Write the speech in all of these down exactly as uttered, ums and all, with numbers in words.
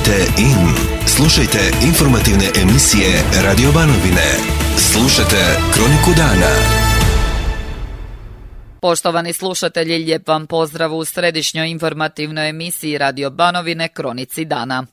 Tunite in. Slušajte informativne emisije Radio Banovine. Slušajte Kroniku dana. Poštovani slušatelji, lijep vam pozdrav u središnjoj informativnoj emisiji Radio Banovine Kronici dana.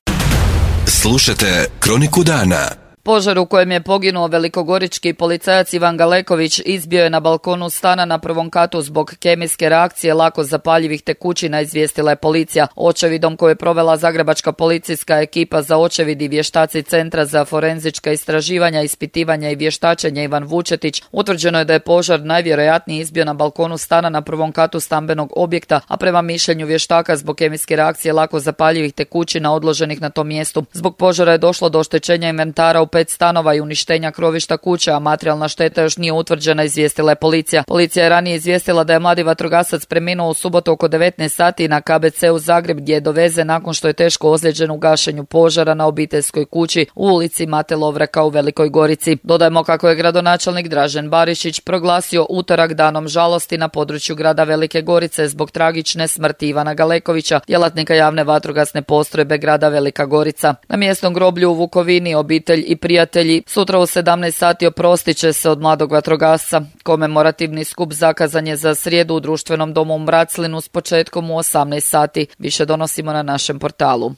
Slušajte Kroniku dana. Požar u kojem je poginuo velikogorički policajac Ivan Galeković izbio je na balkonu stana na prvom katu zbog kemijske reakcije lako zapaljivih tekućina, izvijestila je policija. Očevidom koju je provela zagrebačka policijska ekipa za očevid i vještaci Centra za forenzička istraživanja, ispitivanja i vještačenja Ivan Vučetić, utvrđeno je da je požar najvjerojatnije izbio na balkonu stana na prvom katu stambenog objekta, a prema mišljenju vještaka zbog kemijske reakcije lako zapaljivih tekućina odloženih na tom mjestu. Zbog požara je došlo do oštećenja inventara u pet stanova i uništenja krovišta kuće, a materijalna šteta još nije utvrđena, izvijestila je policija. Policija je ranije izvijestila da je mladi vatrogasac preminuo u subotu oko devetnaest sati na K B C u Zagreb, gdje je dovezen nakon što je teško ozlijeđen u gašenju požara na obiteljskoj kući u ulici Mate Lovreka u Velikoj Gorici. Dodajmo kako je gradonačelnik Dražen Barišić proglasio utorak danom žalosti na području grada Velike Gorice zbog tragične smrti Ivana Galekovića, djelatnika javne vatrogasne postrojbe grada Velika Gorica. Na mjesnom groblju u Vukovini obitelj i prijatelji sutra u sedamnaest sati oprostit će se od mladog vatrogasca. Komemorativni skup zakazan je za srijedu u društvenom domu u Mraclinu s početkom u osamnaest sati. Više donosimo na našem portalu.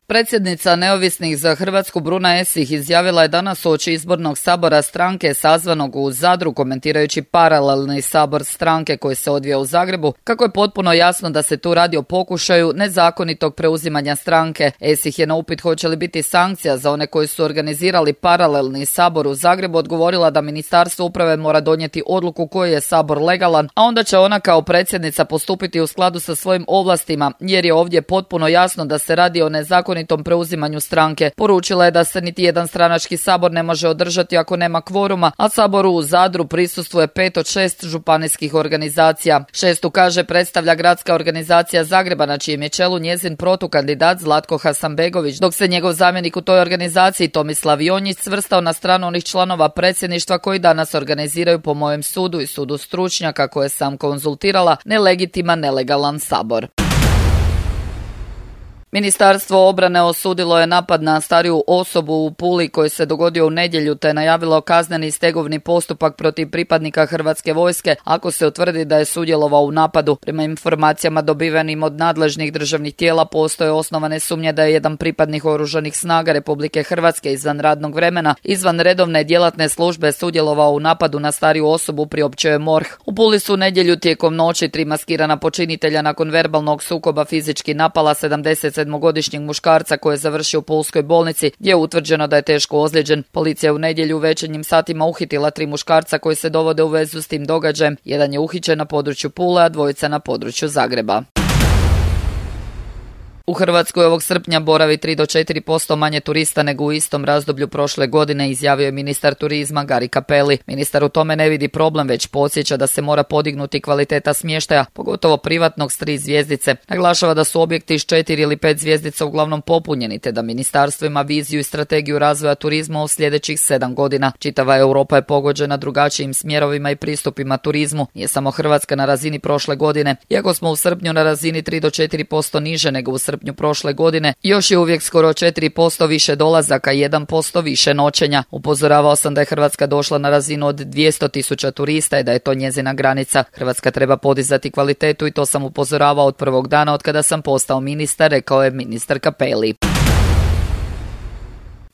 Predsjednica Neovisnih za Hrvatsku Bruna Esih izjavila je danas uoči izbornog sabora stranke sazvanog u Zadru, komentirajući paralelni sabor stranke koji se odvija u Zagrebu, kako je potpuno jasno da se tu radi o pokušaju nezakonitog preuzimanja stranke. Esih je na upit hoće li biti sankcija za one koji su organizirali paralelni sabor u Zagrebu odgovorila da Ministarstvo uprave mora donijeti odluku koji je sabor legalan, a onda će ona kao predsjednica postupiti u skladu sa svojim ovlastima, jer je ovdje potpuno jasno da se radi o nezakonitom tom preuzimanju stranke. Poručila je da se niti jedan stranački sabor ne može održati ako nema kvoruma, a saboru u Zadru prisustvuje pet od šest županijskih organizacija. Šestu, kaže, predstavlja gradska organizacija Zagreba, na čijem je čelu njezin protukandidat Zlatko Hasanbegović, dok se njegov zamjenik u toj organizaciji Tomislav Jonjić svrstao na stranu onih članova predsjedništva koji danas organiziraju, po mojem sudu i sudu stručnjaka koje sam konzultirala, nelegitiman, nelegalan sabor. Ministarstvo obrane osudilo je napad na stariju osobu u Puli koji se dogodio u nedjelju, te najavilo kazneni stegovni postupak protiv pripadnika Hrvatske vojske ako se utvrdi da je sudjelovao u napadu. Prema informacijama dobivenim od nadležnih državnih tijela postoje osnovane sumnje da je jedan pripadnik oružanih snaga Republike Hrvatske izvan radnog vremena, izvan redovne djelatne službe sudjelovao u napadu na stariju osobu, priopćio je MORH. U Puli su u nedjelju tijekom noći tri maskirana počinitelja nakon verbalnog sukoba fizički napala sedamdeset sedmogodišnjeg muškarca koji je završio u pulskoj bolnici, gdje je utvrđeno da je teško ozlijeđen. Policija je u nedjelju u večernjim satima uhitila tri muškarca koji se dovode u vezu s tim događajem. Jedan je uhićen na području Pule, a dvojica na području Zagreba. U Hrvatskoj ovog srpnja boravi tri do četiri posto manje turista nego u istom razdoblju prošle godine, izjavio je ministar turizma Gari Cappelli. Ministar u tome ne vidi problem, već podsjeća da se mora podignuti kvaliteta smještaja, pogotovo privatnog s tri zvjezdice. Naglašava da su objekti s četiri ili pet zvjezdica uglavnom popunjeni, te da ministarstvo ima viziju i strategiju razvoja turizma u sljedećih sedam godina. Čitava Europa je pogođena drugačijim smjerovima i pristupima turizmu. Nije samo Hrvatska na razini prošle godine. Iako smo u srpnju na razini tri do četiri posto niže nego u srpnju prošle godine, još je uvijek skoro četiri posto više dolazaka i jedan posto više noćenja. Upozoravao sam da je Hrvatska došla na razinu od dvjesto tisuća turista i da je to njezina granica. Hrvatska treba podizati kvalitetu i to sam upozoravao od prvog dana od kada sam postao ministar, rekao je ministar Cappelli.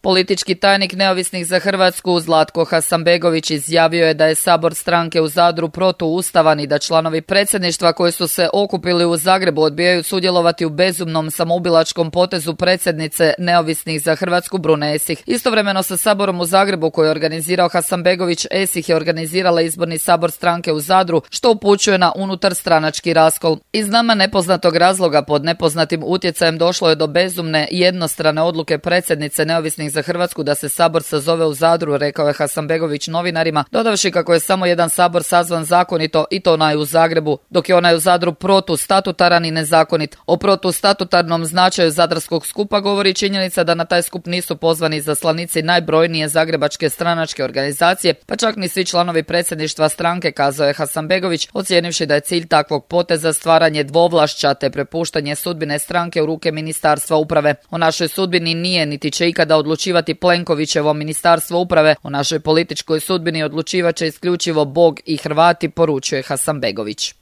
Politički tajnik Neovisnih za Hrvatsku Zlatko Hasanbegović izjavio je da je sabor stranke u Zadru protuustavan i da članovi predsjedništva koji su se okupili u Zagrebu odbijaju sudjelovati u bezumnom samoubilačkom potezu predsjednice Neovisnih za Hrvatsku Brune Esih. Istovremeno sa saborom u Zagrebu koji je organizirao Hasanbegović, Esih je organizirala izborni sabor stranke u Zadru, što upućuje na unutar stranački raskol. Iz nama nepoznatog razloga pod nepoznatim utjecajem došlo je do bezumne jednostrane odluke predsjednice Neovisnih važnih za Hrvatsku da se sabor sazove u Zadru, rekao je Hasanbegović novinarima, dodavši kako je samo jedan sabor sazvan zakonito i to onaj u Zagrebu, dok je onaj u Zadru protustatutaran i nezakonit. O protustatutarnom značaju zadarskog skupa govori činjenica da na taj skup nisu pozvani izaslanici najbrojnije zagrebačke stranačke organizacije, pa čak ni svi članovi predsjedništva stranke, kazao je Hasanbegović, ocijenivši da je cilj takvog poteza stvaranje dvovlašća te prepuštanje sudbine stranke u ruke Ministarstva uprave. O našoj sudbini nije niti će ikada odlučivati Plenkovićevo Ministarstvo uprave, o našoj političkoj sudbini odlučivat će isključivo Bog i Hrvati, poručuje Hasanbegović.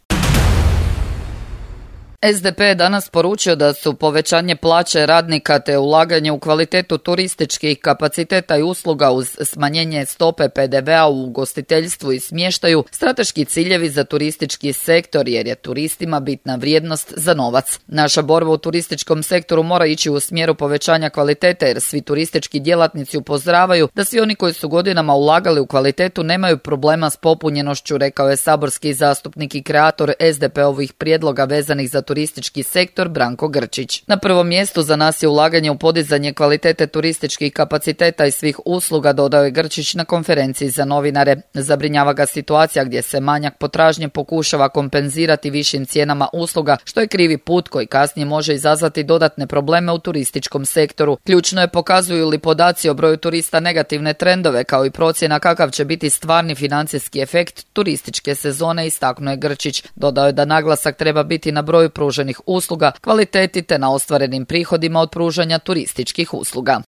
S D P je danas poručio da su povećanje plaće radnika te ulaganje u kvalitetu turističkih kapaciteta i usluga uz smanjenje stope P D V-a u ugostiteljstvu i smještaju strateški ciljevi za turistički sektor jer je turistima bitna vrijednost za novac. Naša borba u turističkom sektoru mora ići u smjeru povećanja kvalitete jer svi turistički djelatnici upozoravaju da svi oni koji su godinama ulagali u kvalitetu nemaju problema s popunjenošću, rekao je saborski zastupnik i kreator S D P-ovih prijedloga vezanih za turistički sektor Branko Grčić. Na prvom mjestu za nas je ulaganje u podizanje kvalitete turističkih kapaciteta i svih usluga, dodao je Grčić na konferenciji za novinare. Zabrinjava ga situacija gdje se manjak potražnje pokušava kompenzirati višim cijenama usluga, što je krivi put koji kasnije može izazvati dodatne probleme u turističkom sektoru. Ključno je pokazuju li podaci o broju turista negativne trendove, kao i procjena kakav će biti stvarni financijski efekt turističke sezone, istaknuo je Grčić. Dodao je da naglasak treba biti na broju pruženih usluga, kvaliteti te na ostvarenim prihodima od pružanja turističkih usluga.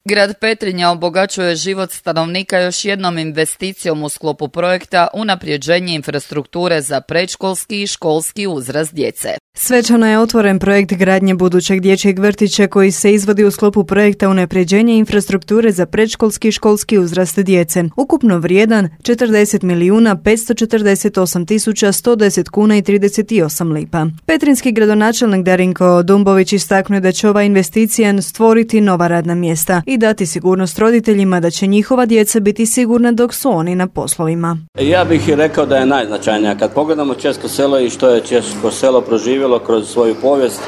Grad Petrinja obogaćuje život stanovnika još jednom investicijom u sklopu projekta unapređenje infrastrukture za predškolski i školski uzrast djece. Svečano je otvoren projekt gradnje budućeg dječjeg vrtića koji se izvodi u sklopu projekta unapređenje infrastrukture za predškolski i školski uzrast djece. Ukupno vrijedan četrdeset milijuna petsto četrdeset osam tisuća sto deset kuna i trideset osam lipa. Petrinski gradonačelnik Darinko Dumbović istaknuo da će ova investicija stvoriti nova radna mjesta i dati sigurnost roditeljima da će njihova djeca biti sigurna dok su oni na poslovima. Ja bih i rekao da je najznačajnija. Kad pogledamo Česko selo i što je Česko selo proživjelo kroz svoju povijest,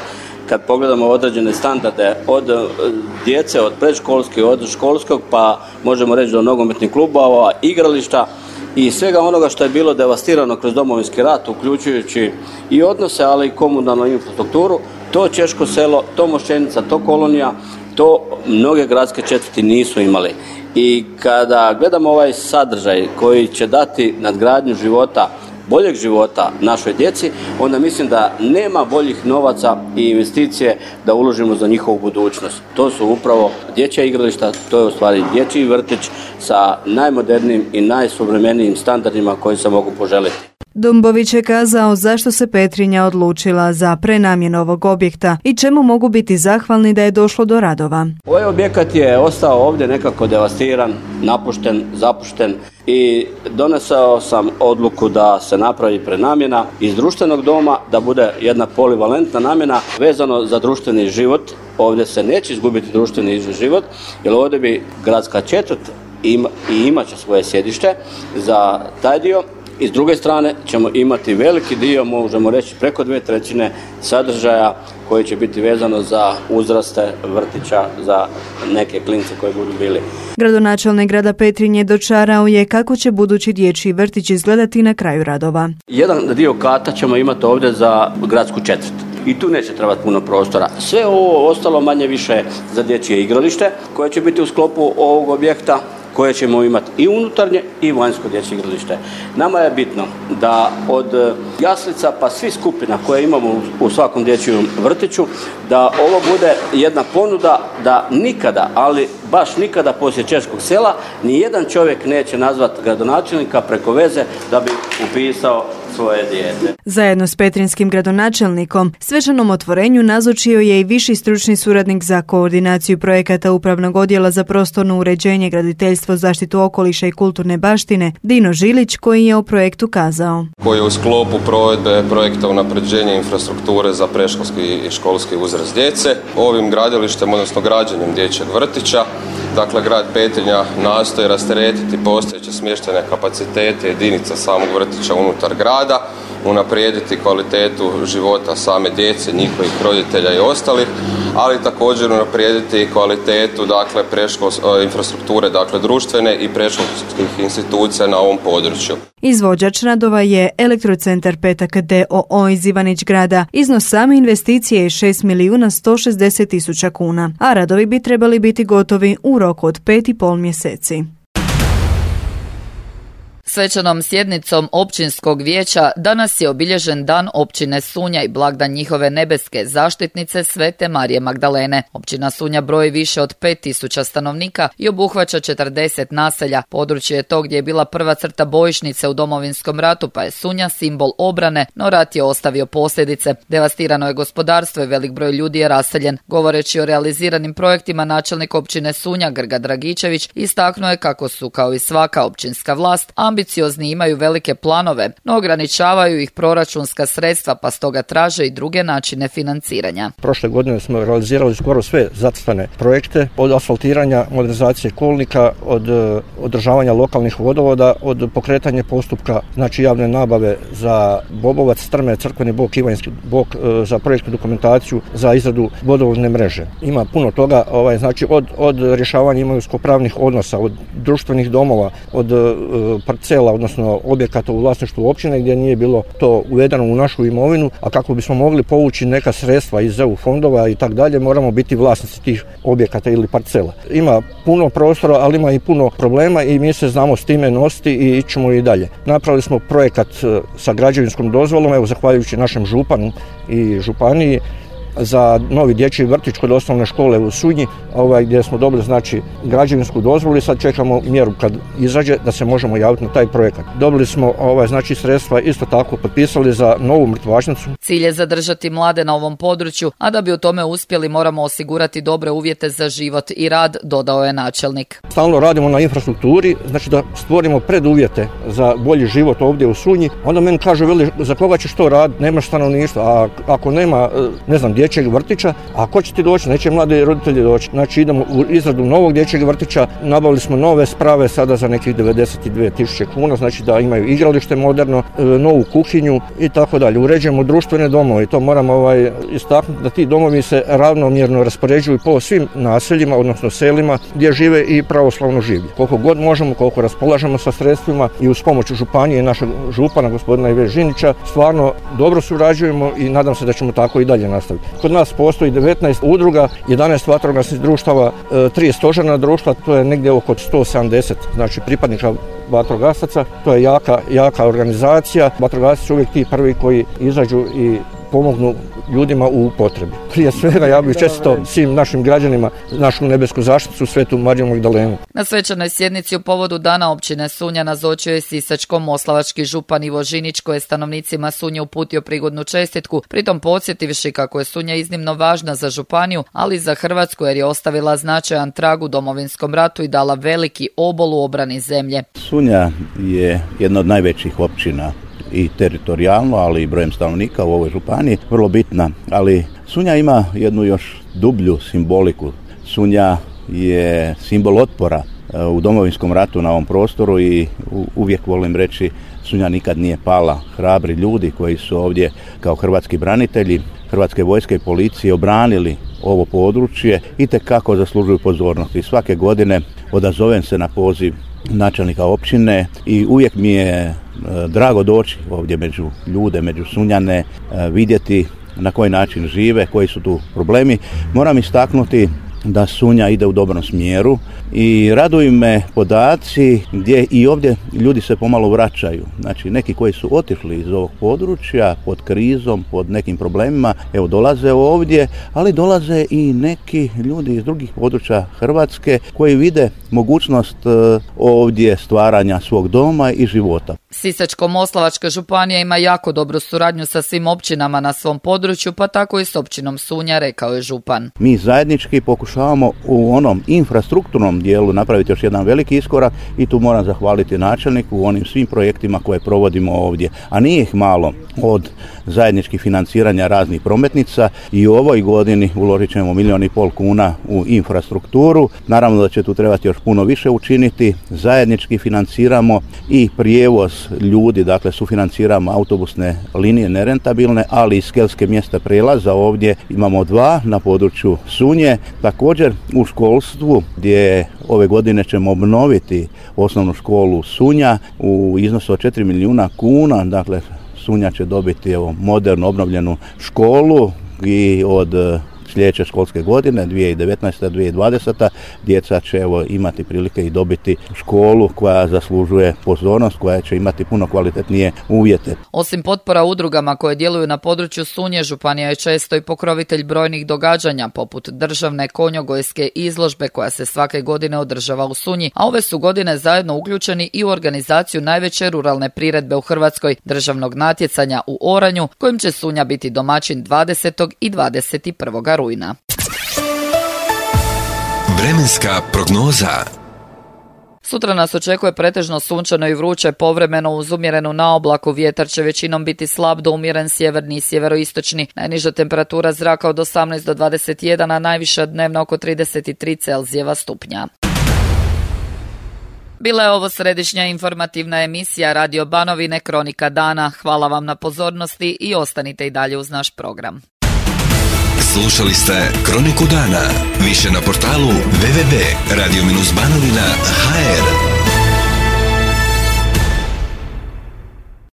kad pogledamo određene standarde od djece, od predškolskih, od školskog, pa možemo reći do nogometnih klubova, igrališta i svega onoga što je bilo devastirano kroz Domovinski rat, uključujući i odnose, ali i komunalnu infrastrukturu, to Česko selo, to Mošćenica, to Kolonija, to mnoge gradske četvrti nisu imali. I kada gledamo ovaj sadržaj koji će dati nadgradnju života, boljeg života našoj djeci, onda mislim da nema boljih novaca i investicije da uložimo za njihovu budućnost. To su upravo dječja igrališta, to je u stvari dječji vrtić sa najmodernijim i najsuvremenijim standardima koji se mogu poželiti. Dumbović je kazao zašto se Petrinja odlučila za prenamjenu ovog objekta i čemu mogu biti zahvalni da je došlo do radova. Ovaj objekat je ostao ovdje nekako devastiran, napušten, zapušten i donesao sam odluku da se napravi prenamjena iz društvenog doma, da bude jedna polivalentna namjena vezano za društveni život. Ovdje se neće izgubiti društveni život, jer ovdje bi gradska četvrt ima, i imat će svoje sjedište za taj dio. I s druge strane ćemo imati veliki dio, možemo reći preko dvije trećine sadržaja koji će biti vezano za uzraste vrtića za neke klince koji budu bili. Gradonačelnik grada Petrinje dočarao je kako će budući dječji vrtić izgledati na kraju radova. Jedan dio kata ćemo imati ovdje za gradsku četvrt. I tu neće trebati puno prostora. Sve ovo ostalo manje više za dječje igralište koje će biti u sklopu ovog objekta, koje ćemo imati i unutarnje i vanjsko dječje igralište. Nama je bitno da od jaslica pa svih skupina koje imamo u svakom dječjem vrtiću, da ovo bude jedna ponuda da nikada, ali baš nikada poslije Českog sela, ni jedan čovjek neće nazvati gradonačelnika preko veze da bi upisao svoje dijete. Zajedno s petrinskim gradonačelnikom svečanom otvorenju nazočio je i viši stručni suradnik za koordinaciju projekata Upravnog odjela za prostorno uređenje, graditeljstvo, zaštitu okoliša i kulturne baštine Dino Žilić, koji je o projektu kazao. Koji je u sklopu provedbe projekta unapređenja infrastrukture za predškolski i školski uzrast djece. Ovim gradilištem, odnosno građenjem dječjeg vrtića, dakle grad Petrinja nastoji rasteretiti postojeće smještajne kapacitete jedinica samog vrtića unutar grada unaprijediti kvalitetu života same djece, njihovih roditelja i ostalih, ali također unaprijediti kvalitetu dakle, preškolske infrastrukture, dakle društvene i predškolskih institucija na ovom području. Izvođač radova je Elektrocentar Petak d o o iz Ivanić Grada. Iznos same investicije je šest milijuna sto šezdeset tisuća kuna, a radovi bi trebali biti gotovi u roku od pet i pol mjeseci. Svečanom sjednicom općinskog vijeća danas je obilježen dan općine Sunja i blagdan njihove nebeske zaštitnice Svete Marije Magdalene. Općina Sunja broji više od pet tisuća stanovnika i obuhvaća četrdeset naselja. Područje je to gdje je bila prva crta bojišnice u Domovinskom ratu, pa je Sunja simbol obrane, no rat je ostavio posljedice. Devastirano je gospodarstvo i velik broj ljudi je raseljen. Govoreći o realiziranim projektima, načelnik općine Sunja Grga Dragičević istaknuo je kako su, kao i svaka općinska vlast, ambiciozni, imaju velike planove, no ograničavaju ih proračunska sredstva, pa stoga traže i druge načine financiranja. Prošle godine smo realizirali skoro sve zacrtane projekte, od asfaltiranja, modernizacije kolnika, od održavanja lokalnih vodovoda, od pokretanja postupka, znači javne nabave za Bobovac, Strme, Crkveni bok, Ivanjski bok, za projektnu dokumentaciju, za izradu vodovodne mreže. Ima puno toga, ovaj, znači od, od rješavanja imovinsko-pravnih odnosa, od društvenih domova, od parcela, odnosno objekata u vlasništvu općine gdje nije bilo to uvedeno u našu imovinu, a kako bismo mogli povući neka sredstva iz E U fondova i tak dalje, moramo biti vlasnici tih objekata ili parcela. Ima puno prostora, ali ima i puno problema i mi se znamo s time nositi i ićemo i dalje. Napravili smo projekat sa građevinskom dozvolom, evo zahvaljujući našem županu i županiji, za novi dječji vrtić kod osnovne škole u Sunji, ovaj, gdje smo dobili znači građevinsku dozvolu i sad čekamo mjeru kad izađe da se možemo javiti na taj projekat. Dobili smo ovaj, znači sredstva, isto tako potpisali za novu mrtvačnicu. Cilj je zadržati mlade na ovom području, a da bi u tome uspjeli moramo osigurati dobre uvjete za život i rad, dodao je načelnik. Stalno radimo na infrastrukturi, znači da stvorimo preduvjete za bolji život ovdje u Sunji. Onda meni kažu, veli, za koga ćeš to raditi, nemaš stanovništva, a ako nema, ne znam, dječjeg vrtića, a ko će ti doći? Neće mladi roditelji doći. Znači idemo u izradu novog dječjeg vrtića, nabavili smo nove sprave sada za nekih devedeset dvije tisuće kuna, znači da imaju igralište moderno, novu kuhinju i tako dalje. Uređujemo društvene domove i to moramo ovaj, istaknuti da ti domovi se ravnomjerno raspoređuju po svim naseljima, odnosno selima gdje žive i pravoslavno življe. Koliko god možemo, koliko raspolažemo sa sredstvima i uz pomoć županije i našeg župana, gospodina Ive Žinića, stvarno dobro surađujemo i nadam se da ćemo tako i dalje nastaviti. Kod nas postoji devetnaest udruga, jedanaest vatrogasnih društava, tri stožerna društva, to je negdje oko sto sedamdeset znači pripadnika vatrogasaca. To je jaka, jaka organizacija. Vatrogasci su uvijek ti prvi koji izađu i pomognu ljudima u potrebi. Prije svega ja bih čestitao svim našim građanima našu nebesku zaštitu Svetu Mariju Magdalenu. Na svečanoj sjednici u povodu dana općine Sunja nazočio je sisačko-moslavački župan Ivo Žinić, koji je stanovnicima Sunje uputio prigodnu čestitku, pritom podsjetivši kako je Sunja iznimno važna za županiju, ali i za Hrvatsku jer je ostavila značajan trag u Domovinskom ratu i dala veliki obol u obrani zemlje. Sunja je jedna od najvećih općina i teritorijalno, ali i brojem stanovnika u ovoj županiji, vrlo bitna. Ali Sunja ima jednu još dublju simboliku. Sunja je simbol otpora u Domovinskom ratu na ovom prostoru i uvijek volim reći Sunja nikad nije pala. Hrabri ljudi koji su ovdje kao hrvatski branitelji, Hrvatske vojske i policije obranili ovo područje itekako zaslužuju pozornost. I svake godine odazovem se na poziv načelnika općine i uvijek mi je drago doći ovdje među ljude, među Sunjane, vidjeti na koji način žive, koji su tu problemi. Moram istaknuti da Sunja ide u dobrom smjeru i raduju me podaci gdje i ovdje ljudi se pomalo vraćaju. Znači neki koji su otišli iz ovog područja pod krizom, pod nekim problemima, evo dolaze ovdje, ali dolaze i neki ljudi iz drugih područja Hrvatske koji vide mogućnost ovdje stvaranja svog doma i života. Sisačko-moslavačka županija ima jako dobru suradnju sa svim općinama na svom području, pa tako i s općinom Sunja, rekao je župan. Mi zajednički pokušavamo u onom infrastrukturnom dijelu napraviti još jedan veliki iskorak i tu moram zahvaliti načelniku u onim svim projektima koje provodimo ovdje. A nije ih malo, od zajedničkih financiranja raznih prometnica i u ovoj godini uložit ćemo milijon i pol kuna u infrastrukturu. Naravno da će tu trebati još puno više učiniti. Zajednički financiramo i prijevoz ljudi, dakle sufinanciramo autobusne linije nerentabilne, ali i skelske mjesta prelaza ovdje imamo dva na području Sunje. Također u školstvu gdje ove godine ćemo obnoviti osnovnu školu Sunja u iznosu od četiri milijuna kuna, dakle Sunja će dobiti evo, modernu obnovljenu školu i od sljedeće školske godine, dvije tisuće devetnaeste dvije tisuće dvadesete djeca će evo, imati prilike i dobiti školu koja zaslužuje pozornost, koja će imati puno kvalitetnije uvjete. Osim potpora udrugama koje djeluju na području Sunje, županija je često i pokrovitelj brojnih događanja, poput državne konjogojske izložbe koja se svake godine održava u Sunji, a ove su godine zajedno uključeni i u organizaciju najveće ruralne priredbe u Hrvatskoj, državnog natjecanja u oranju, kojim će Sunja biti domaćin dvadesetog i dvadeset prvog rujna. Vremenska prognoza. Sutra nas očekuje pretežno sunčano i vruće, povremeno uz umjerenu naoblaku. Vjetar će većinom biti slab do umjeren sjeverni i sjeveroistočni. Najniža temperatura zraka od osamnaest do dvadeset jedan, a najviša dnevna oko trideset tri Celzijeva stupnja. Bila je ovo središnja informativna emisija Radio Banovine Kronika dana. Hvala vam na pozornosti i ostanite i dalje uz naš program. Slušali ste Kroniku dana. Više na portalu w w w tačka radio banovina tačka h r.